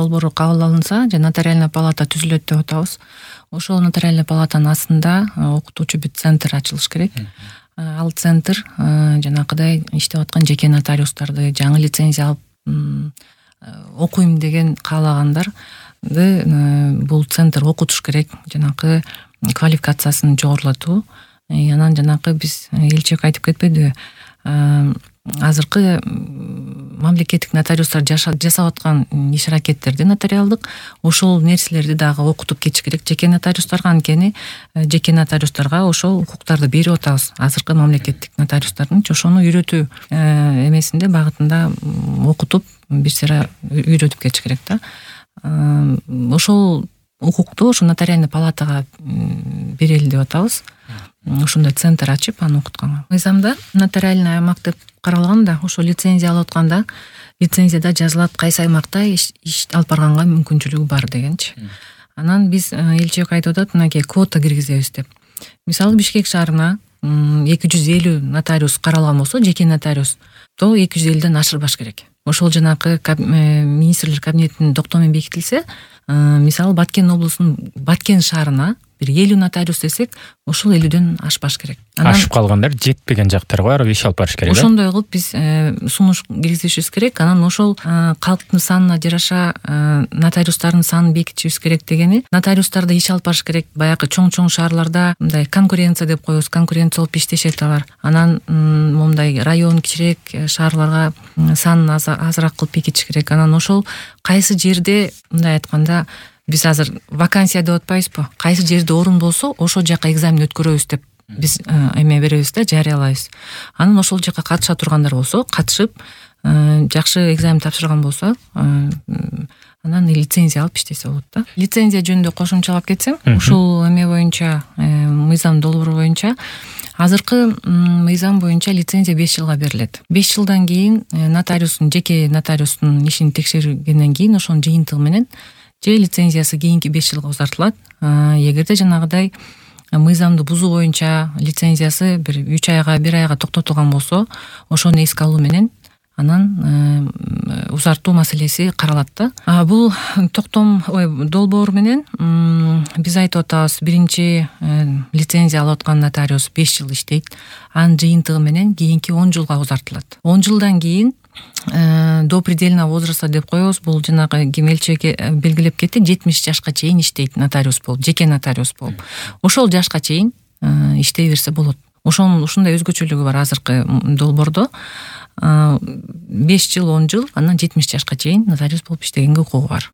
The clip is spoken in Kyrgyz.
долбоору кабыл алынса же нотариальная палата түзүлөт деп атабыз. Ошол нотариальная палатанын астында окутуучу бир центр ачылыш керек. Ал центр жанакыдай иштеп аткан жеке нотариустарды, жаңы лицензия алып окуйм деген каалагандарды бул центр окутуш керек, жанакы квалификациясын жогорулатуу. Анан жанакы биз элчек айтып кетпедиби? Азыркы мамлекеттик нотариустар жасап аткан иш аракеттерди нотариалдык ошол нерселерди дагы окутуп кетиш керек жеке нотариустарга. Анткени жеке нотариустарга ошол укуктарды берип атабыз. Азыркы мамлекеттик нотариустардынчы ошону үйрөтүү эмесинде, багытында окутуп бир сыйра үйрөтүп кетиш керек да. Ошол укукту ошо нотариальный палатага берели деп атабыз. Ошондой центр ачып аны окутканга. Мыйзамда нотариальный аймак деп каралган да, ошо лицензия алып атканда лицензияда жазылат кайсы аймакта иш алып барганга мүмкүнчүлүгү бар дегенчи. Анан биз элчек айтып атат, мынакей квота киргизебиз деп. Мисалы Бишкек шаарына 250 нотариус каралган болсо, жеке нотариус, то 250ден ашырбаш керек. Ошол жанакы министрлер кабинетинин доктому менен бекитилсе, мисалы Баткен облусунун Баткен шаарына бир 50 нотариус десек, ошол 50ден ашпаш керек. Ашып калгандар жетпеген жактарга барып иш алып барыш керек. Ошондой кылып биз сунуш киргизишибиз керек. Анан ошол калктын санына жараша нотариустардын санын бекитишибиз керек дегени, нотариустарда иш алып барыш керек. Баягы чоң шаарларда мындай конкуренция деп коебуз, конкуренция болуп иштешет алар. Анан момундай район кичирээк шаарларга санын азыраак кылып бекитиш керек. Анан ошол кайсы жерде, мындай айтканда, биз азыр вакансия деп атпайбызбы? Кайсы жерде орун болсо, ошол жака экзамен өткөрөбүз деп биз эме беребиз да, жарыялайбыз. Анан ошол жака катыша тургандар болсо, катышып, жакшы экзамен тапшырган болсо, анан лицензия алып иштесе болот да. Лицензия жөнүндө кошумчалап кетсем, ушул эме боюнча, мыйзам долбоору боюнча азыркы мыйзам боюнча лицензия 5 жылга берилет. 5 жылдан кийин жеке нотариустун ишин текшергенден кийин ошонун жыйынтыгы менен же лицензиясы кийинки 5 жылга узартылат. Эгерде жанагыдай мыйзамды бузуу боюнча лицензиясы бир 3 айга, 1 айга токтотулган болсо, ошону эске алуу менен анан узартуу маселеси каралат да. Бул долбоор менен биз айтып атабыз, биринчи лицензия алып аткан нотариус 5 жыл иштейт. Анын жыйынтыгы менен кийинки 10 жылга узартылат. 10 жылдан кийин до предельного возраста деп коебуз. Бул жанагы кемелчеге белгилеп кетти, 70 жашка чейин иштейт нотариус болуп, жеке нотариус болуп. Ошол жашка чейин иштей берсе болот. Ушундай өзгөчөлүгү бар азыркы долбоордо. 5 жыл, 10 жыл, анан 70 жашка чейин нотариус болуп иштегенге укугу бар.